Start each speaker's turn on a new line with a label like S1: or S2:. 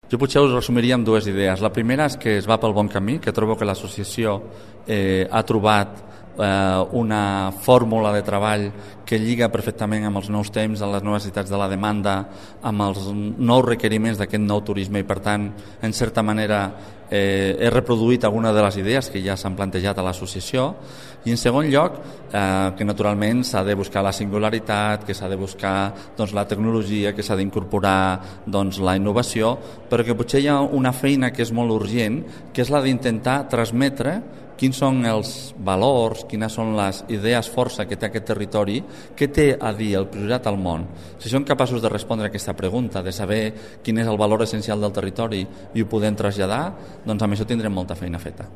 S1: Jo potser us resumiria amb dues idees. La primera és que es va pel bon camí, que trobo que l'associació ha trobat una fórmula de treball que lliga perfectament amb els nous temps, amb les noves necessitats de la demanda, amb els nous requeriments d'aquest nou turisme i, per tant, en certa manera he reproduït algunes de les idees que ja s'han plantejat a l'associació. I, en segon lloc, que naturalment s'ha de buscar la singularitat, que s'ha de buscar la tecnologia, que s'ha d'incorporar la innovació, però que potser hi ha una feina que és molt urgent, que és la d'intentar transmetre quins són els valors, quines són les idees força que té aquest territori, què té a dir el Priorat al món. Si som capaços de respondre a aquesta pregunta, de saber quin és el valor essencial del territori i ho podem traslladar, doncs amb això tindrem molta feina feta.